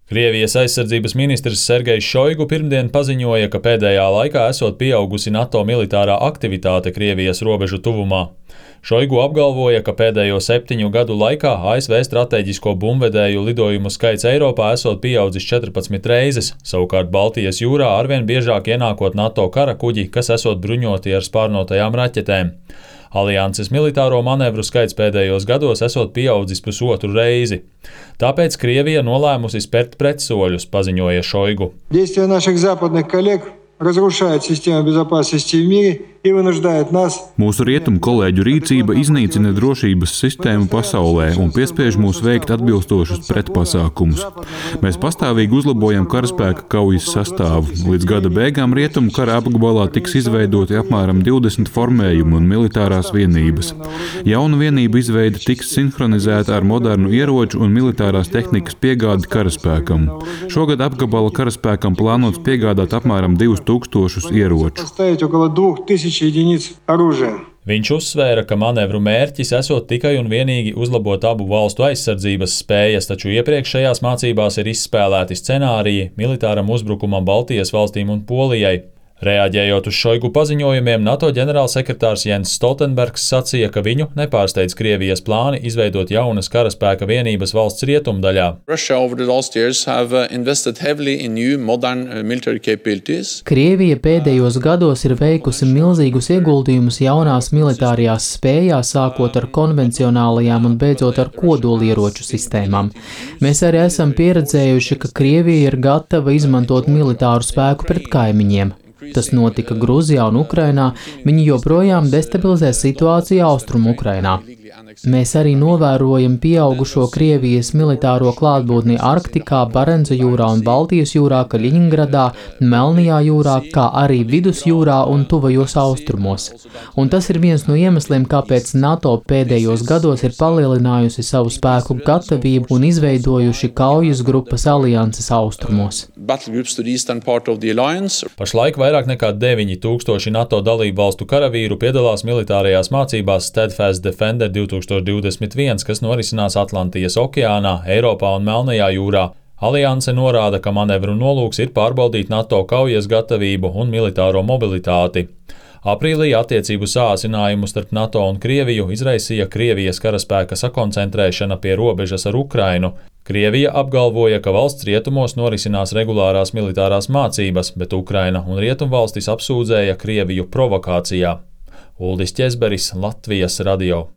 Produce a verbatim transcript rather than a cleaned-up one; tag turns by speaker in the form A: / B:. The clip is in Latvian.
A: Krievijas aizsardzības ministrs Sergejs Šoigu pirmdien paziņoja, ka pēdējā laikā esot pieaugusi NATO militārā aktivitāte Krievijas robežu tuvumā. Šoigu apgalvoja, ka pēdējo septiņu gadu laikā A S V strateģisko bumbvedēju lidojumu skaits Eiropā esot pieaudzis četrpadsmit reizes, savukārt Baltijas jūrā arvien biežāk ienākot NATO kara kuģi, kas esot bruņoti ar spārnotajām raķetēm. Alianses militāro manevru skaits pēdējos gados esot pieaudzis pusotru reizi. Tāpēc Krievija nolēmusi spērt pretsoļus, paziņoja Šoigu.
B: Действия наших западных коллег разрушают систему безопасности в мире и вынуждают нас.
C: Mūsu rietumu kolēģu rīcība iznīcina drošības sistēmu pasaulē un piespiež mūs veikt atbilstošus pretpasākumus. Mēs pastāvīgi uzlabojam karaspēka kaujas sastāvu. Līdz gada beigām rietumu kara apgabalā tiks izveidoti apmēram divdesmit formējumi un militārās vienības. Jauna vienība izveide tiks sinhronizēta ar modernu ieroču un militārās tehnikas piegādi karaspēkam. Šogad apgabala karaspēkam plānots piegādāt apmēram divus tūkstošus ieroču.
A: Viņš uzsvēra, ka manevru mērķis esot tikai un vienīgi uzlabot abu valstu aizsardzības spējas, taču iepriekšējās mācībās ir izspēlēti scenāriji militāram uzbrukumam Baltijas valstīm un Polijai. Reaģējot uz Šoigu paziņojumiem, NATO ģenerālsekretārs Jens Stoltenbergs sacīja, ka viņu nepārsteidz Krievijas plāni izveidot jaunas karaspēka vienības valsts rietumdaļā.
D: Krievija pēdējos gados ir veikusi milzīgus ieguldījumus jaunās militārajās spējās, sākot ar konvencionālajām un beidzot ar kodolieroču sistēmām. Mēs arī esam pieredzējuši, ka Krievija ir gatava izmantot militāru spēku pret kaimiņiem. Tas notika Gruzijā un Ukrainā, viņi joprojām destabilizē situāciju Austrumu Ukrainā. Mēs arī novērojam pieaugušo Krievijas militāro klātbūtni Arktikā, Barenca jūrā un Baltijas jūrā, Kaļiņgradā, Melnajā jūrā, kā arī Vidusjūrā un tuvajos austrumos. Un tas ir viens no iemesliem, kāpēc NATO pēdējos gados ir palielinājusi savu spēku gatavību un izveidojuši kaujas grupas alianses austrumos.
A: Pašlaik vairāk nekā deviņi tūkstoši NATO dalību valstu karavīru piedalās militārajās mācībās Steadfast Defender divtūkstoš divdesmit viens, kas norisinās Atlantijas okeānā, Eiropā un Melnajā jūrā. Alianse norāda, ka manevru nolūks ir pārbaudīt NATO kaujas gatavību un militāro mobilitāti. Aprīlī attiecību sāsinājumu starp NATO un Krieviju izraisīja Krievijas karaspēka sakoncentrēšana pie robežas ar Ukrainu. Krievija apgalvoja, ka valsts rietumos norisinās regulārās militārās mācības, bet Ukraina un rietumvalstis apsūdzēja Krieviju provokācijā. Uldis Ķezberis, Latvijas radio.